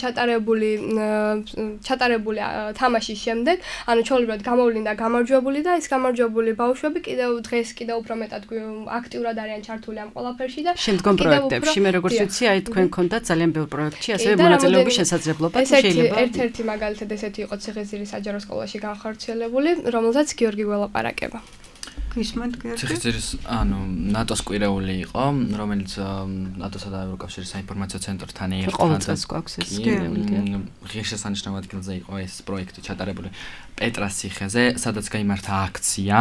Speaker 4: ჩატარებული თამაშის შემდეგ, ანუ ჩვეულებრივად გამოვლინდა გამარჯვებული და ეს გამარჯვებული ბავშვები კიდევ დღეს კიდევ უფრო მეტად აქტიურად არიან ჩართული ამ ყველაფერში და
Speaker 3: შემდგომ პროექტებში მე როგორც ვიცი, აი თქვენ გქონდათ ძალიან ბევრ პროექტში ასევე მონაწილეობის შესაძლებლობა, თუ შეიძლება.
Speaker 4: ერთ-ერთი მაგალითად ესეთი იყო ციხისძირის საჯარო სკოლაში განხორციელებული, რომელზეც გიორგი გველაპარაკება.
Speaker 6: ციხისძირის, ანუ ნატოს კვირეული იყო, რომელიც ნატოსა და ევროკავშირის საინფორმაციო ცენტრთან ერთად
Speaker 3: ყოველწელს გვაქვს ეს კვირეული.
Speaker 6: ღირსშესანიშნავ ადგილზე იყო ეს პროექტი ჩატარებული პეტრას ციხეზე, სადაც გაიმართა აქცია,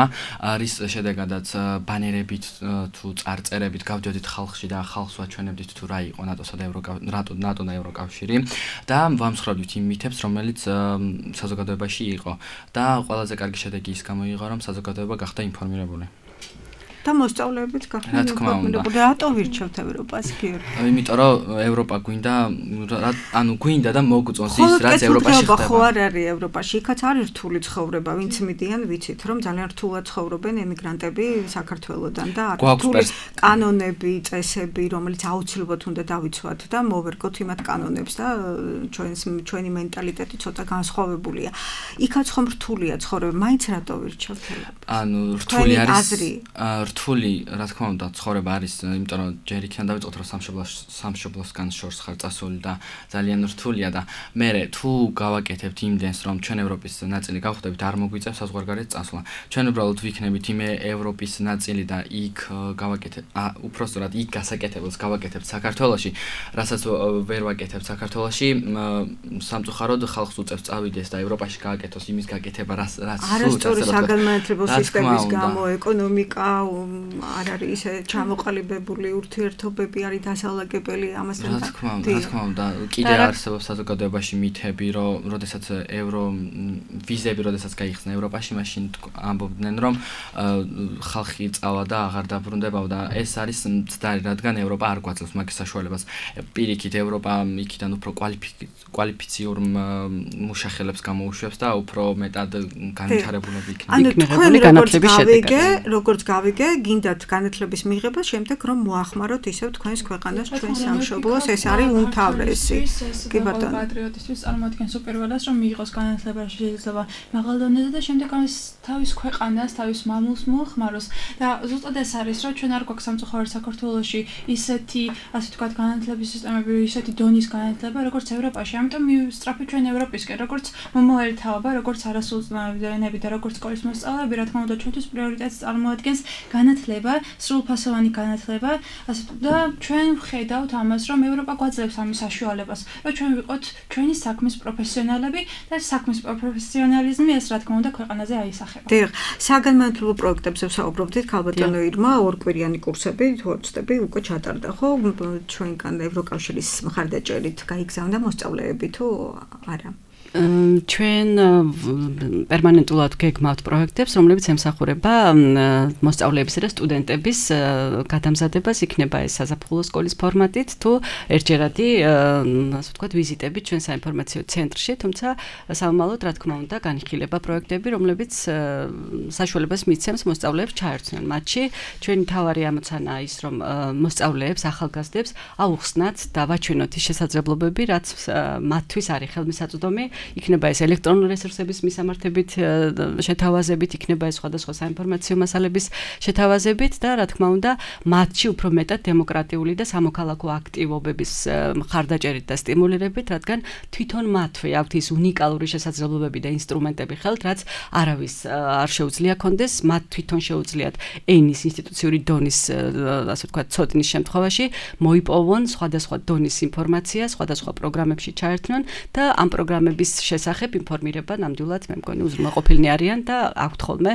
Speaker 6: არის შედეგადაც ბანერებით თუ წარწერებით გავდიოდით ხალხში და ხალხს ვაჩვენებდით თუ რა იყო ნატოსა და ნატო და ევროკავშირი და ვამსხვრევდით იმ მითებს, რომელიც საზოგადოებაში იყო და ყველაზე კარგი შედეგი ის გამოიღო, რომ საზოგადოება გახდა ინფორმირებული.
Speaker 2: და მოსწავლეებიც გახდნენ ინფორმირებული. რატო ვირჩევთ ევროპას, გიორგი?
Speaker 6: იმიტომ რომ ევროპა გვინდა, ანუ გვინდა და მოგწონს ის, რაც ევროპაში ხდება.
Speaker 2: ხო არ არის ევროპაში, იქაც არის რთული ცხოვრება, ვინც მიდიან, ვიცით, რომ ძალიან რთულად ცხოვრობენ ემიგრანტები საქართველოდან და არის რთული კანონები, წესები, რომელიც აუცილებლად უნდა დავიცვათ და მოვერგოთ იმათ კანონებს და ჩვენი მენტალიტეტი ცოტა განსხვავებულია. იქაც ხომ რთულია ცხოვრება, მაინც რატო ვირჩევთ?
Speaker 6: ანუ რთული არის რთული, რა თქმა უნდა, ცხოვრება არის, იმიტომ რომ ჯერ იქიდან დავიწყოთ, რომ სამშობლოსგან შორს ხარ წასული და ძალიან რთულია და მე თუ გავაკეთებთ იმდენს, რომ ჩვენ ევროპის ნაწილი გავხდებით, არ მოგვიწევს საზღვარგარეთ წასვლა. ჩვენ უბრალოდ ვიქნებით იმ ევროპის ნაწილი და იქ გავაკეთებთ, უпростоრად იქ გასაკეთებელს გავაკეთებთ საქართველოში, რასაც ვერ ვაკეთებთ საქართველოში, სამწუხაროდ ხალხს უწევს წავიდეს და ევროპაში გააკეთოს იმის გაკეთება, რაც
Speaker 2: არასწორი საგანმანათლებლო სისტემის გამო ეკონომიკა არ არის ისე ჩამოყალიბებული, ურთიერთობები არის დასალაგებელი ამასთან.
Speaker 6: რა თქმა უნდა, კიდე არსებობს საზოგადოებაში მითები, რომ როდესაც ვიზები როდესაც გაიხსნა ევროპაში, მაშინ ამბობდნენ, რომ ხალხი წავა და აღარ დაბრუნდებაო და ეს არის მცდარი, რადგან ევროპა არ გვაძლევს მაგ საშუალებას. პირიქით ევროპა იქიდან უფრო კვალიფიციურ მუშახელებს გამოუშვებს და უფრო მეტად განვითარებულები იქნება. როგორც გავიგე, გინდათ განათლების მიღება, შემდეგ რომ მოახმაროთ ისევ თქვენს ქვეყანას, თქვენს სამშობლოს, ეს არის უმთავრესი.
Speaker 5: კი ბატონო. პატრიოტისთვის წარმოადგენს უპირველეს, რომ მიიღოს განათლება, შეიძლება მაღალ დონეზე და შემდეგ ამის თავის ქვეყანას, თავის მამულს მოახმაროს. და ზუსტად ეს არის, რომ ჩვენ არ გვაქვს სამწუხაროდ საქართველოში ისეთი, ასე ვთქვათ, განათლების სისტემები, ისეთი დონის განათლება, როგორც ევროპაში. ამიტომ მივსწრაფეთ ჩვენ ევროპისკენ, როგორც მომავალი თაობა, როგორც არასრულწლოვანები და როგორც სკოლის მოსწავლეები, რა თქმა უნდა, ჩვენთვის პრიორიტეტს წარმოადგენს განათლება, სრულფასოვანი განათლება, ასე და ჩვენ ვხედავთ ამას, რომ ევროპა გვაძლევს ამის საშუალებას, რომ ჩვენ ვიყოთ ჩვენი საქმის პროფესიონალები და საქმის პროფესიონალიზმი ეს რა თქმა უნდა ქვეყანაზე აისახება.
Speaker 2: დიახ, საგანმანათლებლო პროექტებზე ვსაუბრობდით, ქალბატონო ირმა, ორკვირიანი კურსები, თუ ვწდები, უკვე ჩატარდა, ხო? ჩვენგან ევროკავშირის მხარდაჭერით გაიგზავნა მოსწავლეები თუ არა?
Speaker 3: ჩვენ პერმანენტულად გეგმავთ პროექტებს, რომლებიც ემსახურება მოსწავლეებისა და სტუდენტების გადამზადებას, იქნება ეს საზაფხულო სკოლის ფორმატით, თუ ერთჯერადი, ასე ვთქვათ, ვიზიტებით ჩვენ საინფორმაციო ცენტრში, თუმცა სამომავლოდ, რა თქმა უნდა, განიხილება პროექტები, რომლებიც საშუალებას მიცემს მოსწავლეებს ჩაერთვნენ მათში. ჩვენი მთავარი ამოცანა ის, რომ მოსწავლეებს, ახალგაზრდებს აუხსნათ და ვაჩვენოთ ის შესაძლებლობები, რაც მათთვის არის ხელმისაწვდომი. იქნება ეს ელექტრონული რესურსების მისამართებით შეთავაზებით, იქნება ეს სხვადასხვა საინფორმაციო მასალების შეთავაზებით და რა თქმა უნდა, მათში უფრო მეტად დემოკრატიული და სამოქალაქო აქტივობების მხარდაჭერით და სტიმულირებით, რადგან თვითონ მათვე აქვთ ის უნიკალური შესაძლებლობები და ინსტრუმენტები ხელთ, რაც არავის არ შეუძლია კონდეს, მათ თვითონ შეუძლიათ ენის ინსტიტუციური დონის, ასე ვთქვათ, ცოდნის შემთხვევაში მოიპოვონ სხვადასხვა დონის ინფორმაცია, სხვადასხვა პროგრამებში ჩაერთვნენ და ამ პროგრამების შესახებ ინფორმირება ნამდვილად მე მგონი უზრუნველყოფილნი არიან და აქვთ ხოლმე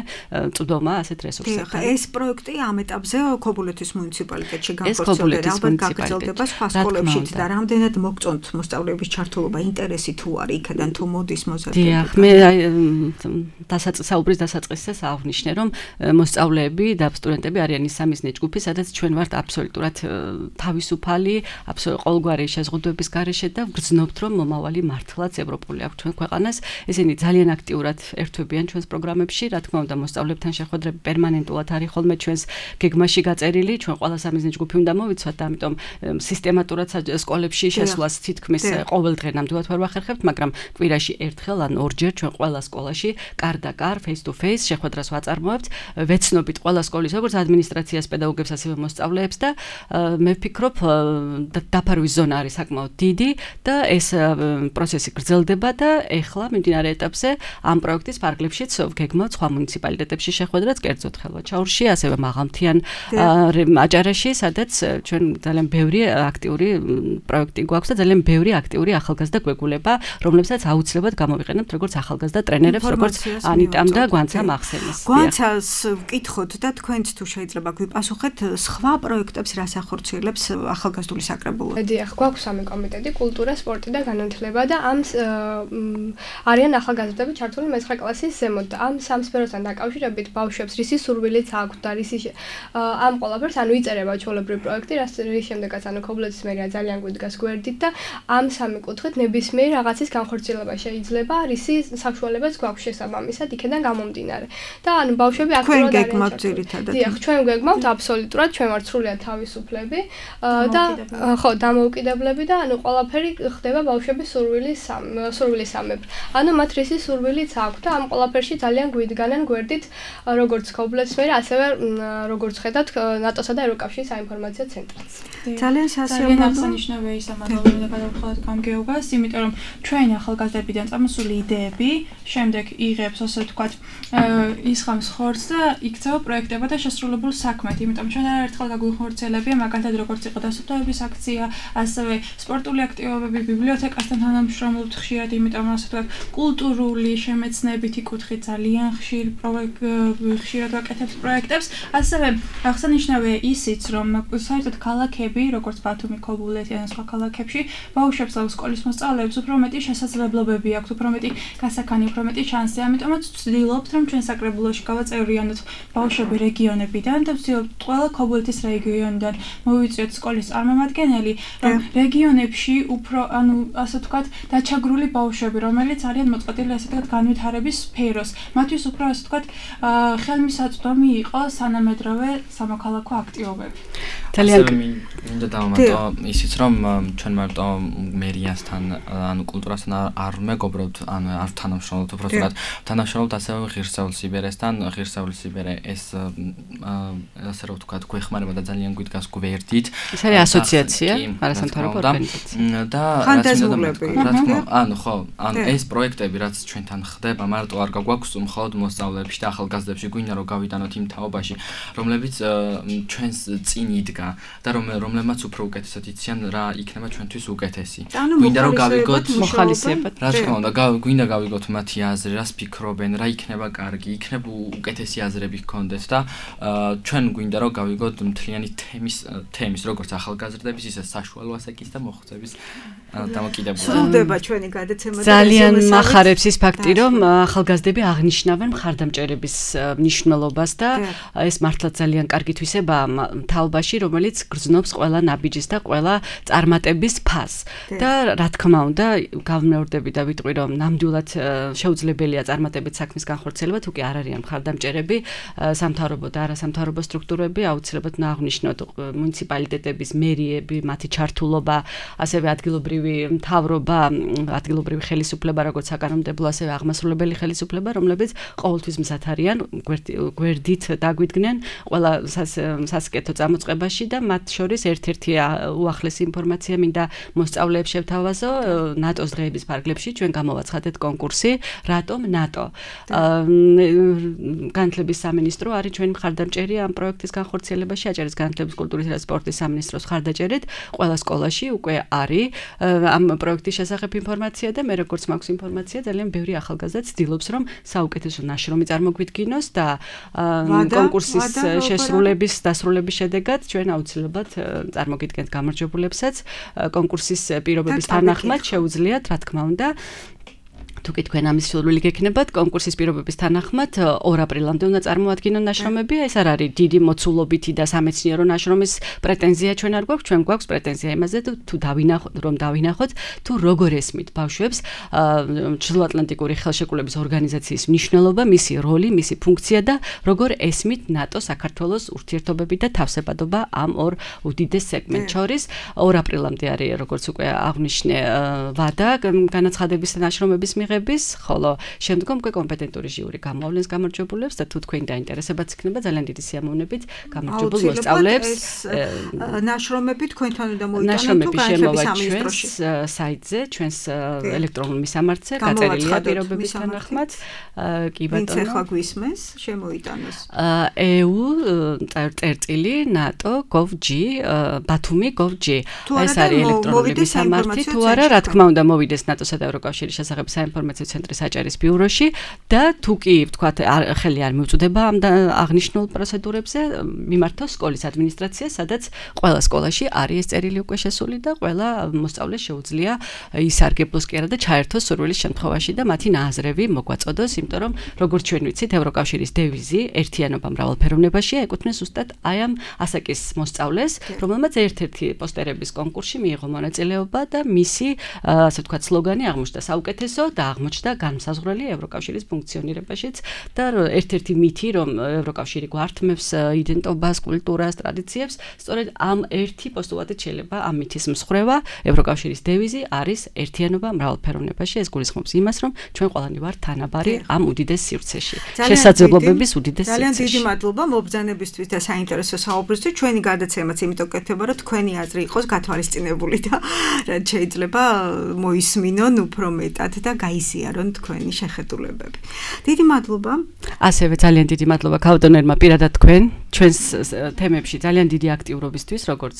Speaker 3: წვდომა ასეთ რესურსებთან.
Speaker 2: ეს პროექტი ამ ეტაპზე ქობულეთის მუნიციპალიტეტში განხორციელდება, ალბათ გაგრძელდება სხვა სკოლებშიც და რამდენად მოგწონთ მოსწავლეების ჩართულობა, ინტერესი თუ არის იქიდან თუ მოდის მოზარდები.
Speaker 3: დიახ, მე საუბრის დასაწყისზე აღნიშნე, რომ მოსწავლეები და სტუდენტები არიან ის სამიზნე ჯგუფი, სადაც ჩვენ ვართ აბსოლუტურად თავისუფალი, ყოველგვარი შეზღუდვების გარეშე და ვგრძნობთ, რომ მომავალი მართლაც ევროპული აქვს ჩვენ ქვეყანას. ესენი ძალიან აქტიურად ერთვებიან ჩვენს პროგრამებში, რა თქმა უნდა, მოსწავლეებთან შეხვედრები პერმანენტულად არის ხოლმე ჩვენს გეგმაში გაწერილი, ჩვენ ყველა სამიზნე ჯგუფი უნდა მოვიცვათ და ამიტომ სისტემატურად სკოლებში შესვლას თითქმის ყოველ დღე ნამდვილად ვერ ვახერხებთ, მაგრამ კვირაში ერთხელ ან ორჯერ ჩვენ ყველა სკოლაში კარ და კარ, face to face შეხვედრას ვაწარმოებთ, ვეცნობით ყველა სკოლის როგორც ადმინისტრაციას, პედაგოგებს, ასევე მოსწავლეებს და მე ვფიქრობ, დაფარვის ზონა არის საკმაოდ დიდი და ეს პროცესი გრძელდება და ეხლა მიმდინარე ეტაპზე ამ პროექტის ფარგლებშიც გეგმავთ სხვა მუნიციპალიტეტებში შეხვედრაც, კერძოდ ხელვაჩაურში, ასევე მაღალმთიან აჭარაში, სადაც ჩვენ ძალიან ბევრი აქტიური პროექტი გვაქვს და ძალიან ბევრი აქტიური ახალგაზრდა გვეგულება, რომლებსაც აუცილებლად გამოვიყენებთ როგორც ახალგაზრდა ტრენერებს, როგორც ანიტამ და გვანცამ ახსენეს.
Speaker 2: გვანცას ვკითხოთ და თქვენც თუ შეიძლება გვიპასუხეთ, სხვა პროექტებს რას ახორციელებს ახალგაზრდული საკრებულო?
Speaker 4: დიახ, გვაქვს სამი კომიტეტი: კულტურა, სპორტი და განათლება და ამ არიან ახალგაზრდები ჩართული მე-9 კლასის ზემოთ და ამ სამ სფეროსთან დაკავშირებით ბავშვებს რისი სურვილიც აქვთ და რისი ამ ყველაფერს ანუ იწერება ჩვეულებრივი პროექტი, რის შემდეგაც ანუ ქობულეთის მერია ძალიან გვიდგას გვერდით და ამ სამი კუთხით ნებისმიერ რაღაცის განხორციელება შეიძლება, რისი საშუალებაც გვაქვს შესაბამისად იქიდან გამომდინარე. და ანუ ბავშვები აქტიურად არიან ჩართული. დიახ, ჩვენ გეგმავთ აბსოლუტურად, ჩვენ ვართ სრულიად თავისუფლები და ხო, დამოუკიდებლები და ანუ ყველაფერი ხდება ბავშვების სურვილის მოწვეული სამებრ. ანუ მათ რისი სურვილიც აქვს და ამ ყველაფერში ძალიან გვიდგანენ გვერდით როგორც ქობულეთმერე, ასევე როგორც ხედავთ ნატოსა და ევროკავშირის საინფორმაციო ცენტრიც.
Speaker 2: ძალიან სასიამოვნო
Speaker 5: აღსანიშნავია ის ამაღლებული და გადავხვალოთ გამგეობას, იმიტომ რომ ჩვენ ახალგაზრდებიდან წამოსული იდეები შემდეგ იღებს, ასე ვთქვათ, ისხამს ხორცს და იქცევა პროექტებად და შესრულებულ საქმედ. იმიტომ ჩვენ არაერთხელ გაგვიხორციელებია, მაგალითად როგორც იყო დასუფთავების აქცია, ასევე სპორტული აქტივობები, ბიბლიოთეკასთან თანამშრომლობთ ხშირად, იმიტომ რომ ასე ვთქვათ, კულტურული შემეცნებითი კუთხით ძალიან ხშირად ვაკეთებთ პროექტებს. ასევე აღსანიშნავია ისიც, რომ საერთოდ ქალაქები, როგორც ბათუმი, ქობულეთი ან სხვა ქალაქებში, ბავშვებს და სკოლის მოსწავლეებს უფრო მეტი შესაძლებლობები აქვთ, უფრო მეტი გასაქანი, უფრო მეტი შანსი. ამიტომაც ვცდილობთ, რომ ჩვენ საკრებულოში გავაწევრიანოთ ბავშვები რეგიონებიდან და ვცდილობთ ყველა ქობულეთის რეგიონიდან მოვიწვიოთ სკოლის წარმომადგენელი, რომ რეგიონებში უფრო, ასე ვთქვათ, დაჩაგრული ბავშვები, რომელიც არიან მოწყობილი ასე ვთქვათ განვითარების სფეროს, მათთვის უფრო ასე ვთქვათ ხელმისაწვდომი იყო სანამედროვე სამოქალაქო აქტივობები.
Speaker 6: ძალიან მინდა დავამატო ისიც, რომ ჩვენ მარტო მერიასთან, კულტურასთან არ მეგობრობთ, არ თანამშრომლობთ, უბრალოდ თანამშრომლობთ ასევე ღირსეულ სიბერესთან. ღირსეული სიბერე ეს ასე რომ ვთქვათ, გვეხმარება და ძალიან გვიდგას გვერდით.
Speaker 3: ეს არის ასოციაცია, არასამთავრობო ორგანიზაცია.
Speaker 6: და ეს პროექტები, რაც ჩვენთან ხდება, მარტო არ გაგვაქვს მხოლოდ მოსწავლეებში და ახალგაზრდებში, გვინდა რომ გავიტანოთ იმ თაობაში, რომლებიც ჩვენს წინ იდგა და რომლებმაც უფრო უკეთესად იციან რა იქნება ჩვენთვის უკეთესი. გვინდა რომ გავიგოთ
Speaker 3: მოხალისეებად.
Speaker 6: რა თქმა უნდა, გვინდა გავიგოთ მათი აზრი, რას ფიქრობენ, რა იქნება კარგი, იქნება უკეთესი აზრები გქონდეთ და ჩვენ გვინდა რომ გავიგოთ მთლიანი თემის, როგორც ახალგაზრდების, ისე საშუალო ასაკის და მოხუცების დამოკიდებულება.
Speaker 2: სრულდება ჩვენი გადაცემა.
Speaker 3: ძალიან მახარებს ის ფაქტი, რომ ახალგაზრდები აღნიშნავენ მხარდამჭერების მნიშვნელობას და ეს მართლაც ძალიან კარგი თვისებაა თაობაში, რომელიც გრძნობს ყველა ნაბიჯის და ყველა წარმატების ფასს. და რა თქმა უნდა, გავმეორდები და ვიტყვი, რომ ნამდვილად შეუძლებელია წარმატებით საქმის განხორციელება, თუ კი არ არიან მხარდამჭერები, სამთავრობო და არასამთავრობო სტრუქტურები, აუცილებლად უნდა აღვნიშნოთ მუნიციპალიტეტების, მერიები, მათი ჩართულობა, ასევე ადგილობრივი მთავრობა, ადგილობრივი ხელისუფლება, როგორც საკანონმდებლო, ასევე აღმასრულებელი ხელისუფლება, რომლებიც ყოველთვის მზად არიან გვერდით დაგვიდგნენ ყველა სასკეთო წამოწყებაში და მათ შორის ერთ-ერთი უახლესი ინფორმაცია მინდა მოსწავლეებს შევთავაზო. ნატოს დღეების ფარგლებში ჩვენ გამოვაცხადეთ კონკურსი რატომ ნატო. განათლების სამინისტრო არის ჩვენი მხარდამჭერი ამ პროექტის განხორციელებაში, აჭარის განათლების, კულტურის და სპორტის სამინისტროს მხარდაჭერით ყველა სკოლაში უკვე არის ამ პროექტის შესახებ ინფორმაცია და მე როგორც მაქვს информация, ძალიან ბევრი ახალგაზრდა ცდილობს, რომ საუკეთესო ნაშრომი წარმოგვიდგინოს და კონკურსის შესრულების დასრულების შედეგად ჩვენ აუცილებლად წარმოგიდგენთ გამარჯვებულებსაც. კონკურსის პირობების თანახმად შეუძლიათ, რა თქმა უნდა, თუ კი თქვენ ამის სურვილი გექნებათ, კონკურსის პირობების თანახმად 2 აპრილამდე უნდა წარმოადგინონ ნაშრომები. ეს არ არის დიდი მოცულობითი და სამეცნიერო ნაშრომის პრეტენზია ჩვენ არ გვაქვს, ჩვენ გვაქვს პრეტენზია იმაზე, თუ დავინახოთ, თუ როგორ ესმით ბავშვებს ჩრდილოატლანტიკური ხელშეკრულების ორგანიზაციის მნიშვნელობა, მისი როლი, მისი ფუნქცია და როგორ ესმით ნატო საქართველოს ურთიერთობები და თავსებადობა ამ ორ უდიდეს სეგმენტს შორის. 2 აპრილამდე არის, როგორც უკვე აღნიშნე, ვადა განაცხადების და ნაშრომების ხოლო შემდგომ უკვე კომპეტენტური ჟიური გამოავლენს გამარჯვებულებს და თუ თქვენი დაინტერესებაც იქნება, ძალიან დიდი სიამოვნებით გამარჯვებულ მოსწავლეებს
Speaker 2: ნაშრომები თქვენთან უნდა მოიტანოთ თუ განათლების სამინისტროში
Speaker 3: საიტზე, ჩვენს ელექტრონულ მისამართზე გაწერილია პირობების თანახმად. კი ბატონო.
Speaker 2: ვინც ახლა გვისმენს, შემოიტანოს.
Speaker 3: EU.nato.gov.g bathumi.gov.g ეს არის ელექტრონული მისამართი. თუ არა, რა თქმა უნდა, მოვიდეს ნატოსა და ევროკავშირის შესახებ საინფორმაციო ცენტრის აჭარის ბიუროში და თუ კი ვთქვათ ხელი არ მიუწვდება ამ აღნიშნულ პროცედურებზე, მიმართოს სკოლის ადმინისტრაციას, სადაც ყველა სკოლაში არის ეს წერილი უკვე შესული და ყველა მოსწავლეს შეუძლია ისარგებლოს კი არა და ჩაერთოს სურვილის შემთხვევაში და მათი ნააზრევი მოგვაწოდოს, იმიტომ რომ როგორც ჩვენ ვიცით, ევროკავშირის დევიზი ერთიანობა მრავალფეროვნებაშია, ეკუთვნის ზუსტად აი ამ ასაკის მოსწავლეს, რომელმაც ერთ-ერთი პოსტერების კონკურსში მიიღო მონაწილეობა და მისი, ასე ვთქვათ, სლოგანი აღმოჩნდა საუკეთესო და აღმოჩნდა განმსაზღვრელი ევროკავშირის ფუნქციონირებაშიც და ერთ-ერთი მითი, რომ ევროკავშირი გვართმევს იდენტობას, კულტურას, ტრადიციებს, სწორედ ამ ერთი პოსტულატით შეიძლება ამ მითის მსხრევა. ევროკავშირის დევიზი არის ერთიანობა მრავალფეროვნებაში. ეს გულისხმობს იმას, რომ ჩვენ ყველანი ვართ თანაბარი ამ უდიდეს სივრცეში. შესაძლებლობების უდიდეს სივრცეში.
Speaker 2: ძალიან დიდი მადლობა მობრძანებისთვის და საინტერესო საუბრისთვის. ჩვენი გადაცემაც იმიტომ კეთდება, რომ თქვენი აზრი იყოს გათვალისწინებული და რაც შეიძლება მოისმინონ უფრო მეტად და გაიზიარონ თქვენი შეხედულებები. დიდი მადლობა.
Speaker 3: ასევე ძალიან დიდი მადლობა ქავდონერმა პირადად თქვენ ჩვენს თემებში ძალიან დიდი აქტიურობისთვის, როგორც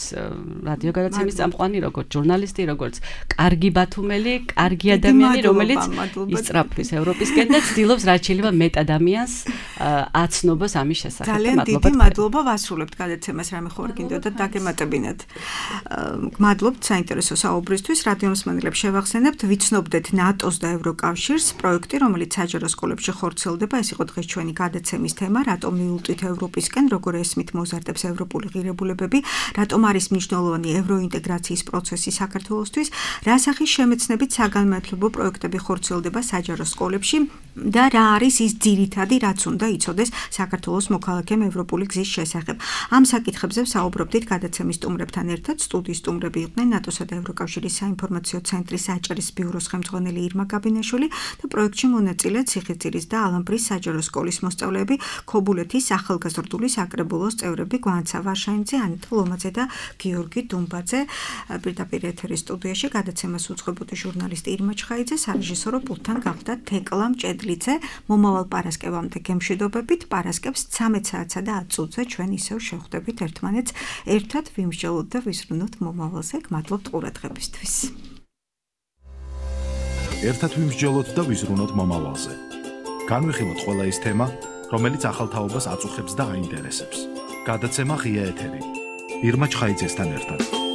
Speaker 3: რადიო გადაცემის წამყვანი, როგორც ჟურნალისტი, როგორც კარგი ბათუმელი, კარგი ადამიანი, რომელიც ისწრაფვის ევროპისკენ და ცდილობს რაც შეიძლება მეტ ადამიანს აცნობას ამის შესახებ.
Speaker 2: ძალიან დიდი მადლობა ვასრულებთ გადაცემას, რამე ხო არ გინდოდათ დაგემატებინათ. მადლობთ საინტერესო საუბრისთვის. რადიო მსმენელებს შევახსენებთ, ვიცნობდეთ ნატოს და ევროკავშირს პროექტი, რომელიც საჯარო სკოლებში ხორციელდება. ეს იყო დღეს ჩვენი გადაცემის თემა, რატომ მიულტვით ევროპისკენ, როგორ ესმით მოზარდებს ევროპული ღირებულებები, რატომ არის მნიშვნელოვანი ევროინტეგრაციის პროცესი საქართველოსთვის, რა სახის შემეცნებით საგანმანათლებლო პროექტები ხორციელდება საჯარო სკოლებში და რა არის ის ძირითადი, რაც უნდა იცოდეს საქართველოს მოქალაქემ ევროპული გზის შესახებ. ამ საკითხებზე საუბრობდით გადაცემის სტუმრებთან ერთად. სტუდიის სტუმრები იყვნენ ნატოსა და ევროკავშირის საინფორმაციო ცენტრის საჭირის ბიუროს ხელმძღვანელი ირმა გაბინაშვილი და პროექტში მონაწილე ციხისძირის და ალამბრის საჯარო სკოლის მოსწავლეები, ქობულეთის ახალგაზრდული საკრებულოს წევრები გვანცა ვარშაინძე, ანიტა ლომაძე და გიორგი დუმბაძე. პირდაპირ ეთერის სტუდიაში გადაცემას უძღვებოდი ჟურნალისტი ირმა ჩხაიძე, სარეჟისორო პულტთან გავხდა თეკლა მჭედლიძე. მომავალ პარასკევამდე გემშვიდობებით. პარასკევს 13 საათსა და 10 წუთზე ჩვენ ისევ შევხვდებით ერთმანეთს, ერთად ვიმსჯელოთ და ვისვრნოთ მომავალზე. გმადლობთ ყურადღებისთვის.
Speaker 1: ერთად ვიმსჯელოთ და ვიზრუნოთ მომავალზე. განვიხილოთ ყველა ის თემა, რომელიც ახალ თაობას აწუხებს და აინტერესებს. გადაცემა ღია ეთერი. ირმა ჩხაიძესთან ერთად.